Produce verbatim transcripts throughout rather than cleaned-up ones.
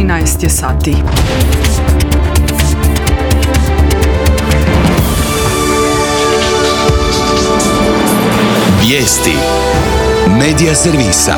trinaest je sati. Vijesti Medija servisa.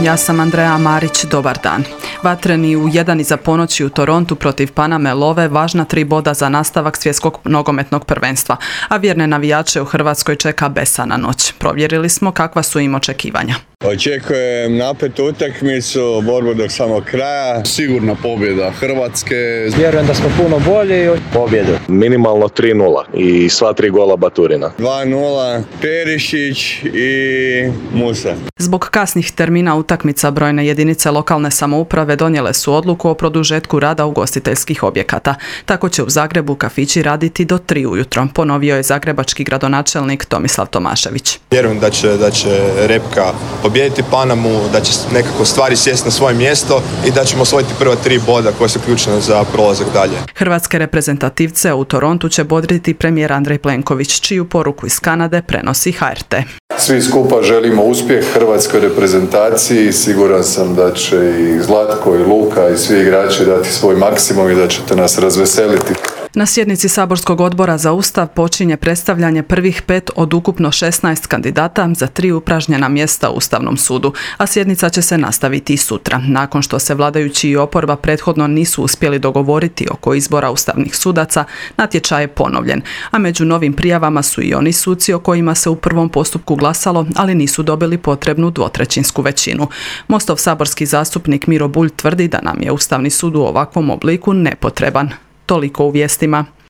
Ja sam Andreja Marić, dobar dan. Vatreni u jedan iza ponoći u Torontu protiv Paname love važna tri boda za nastavak svjetskog nogometnog prvenstva, a vjerne navijače u Hrvatskoj čeka besana noć. Provjerili smo kakva su im očekivanja. Očekujem napetu utakmicu, borbu do samog kraja. Sigurna pobjeda Hrvatske. Vjerujem da smo puno bolji. Pobjedu. Minimalno tri nula i sva tri gola Baturina. dva nula, Perišić i Musa. Zbog kasnih termina utakmica brojne jedinice lokalne samouprave donijele su odluku o produžetku rada ugostiteljskih objekata. Tako će u Zagrebu kafići raditi do tri ujutro, ponovio je zagrebački gradonačelnik Tomislav Tomašević. Vjerujem da će, da će Repka pobijediti Panamu, da će nekako stvari sjesti na svoje mjesto i da ćemo osvojiti prva tri boda koja su ključna za prolazak dalje. Hrvatske reprezentativce u Torontu će bodriti premijer Andrej Plenković, čiju poruku iz Kanade prenosi H R T. Svi skupa želimo uspjeh hrvatskoj reprezentaciji. Siguran sam da će i Zlatko i Luka i svi igrači dati svoj maksimum i da ćete nas razveseliti. Na sjednici Saborskog odbora za Ustav počinje predstavljanje prvih pet od ukupno šesnaest kandidata za tri upražnjena mjesta u Ustavnom sudu, a sjednica će se nastaviti i sutra. Nakon što se vladajući i oporba prethodno nisu uspjeli dogovoriti oko izbora ustavnih sudaca, natječaj je ponovljen, a među novim prijavama su i oni suci o kojima se u prvom postupku glasalo, ali nisu dobili potrebnu dvotrećinsku većinu. Mostov saborski zastupnik Miro Bulj tvrdi da nam je Ustavni sud u ovakvom obliku nepotreban. Toliko u vijestima.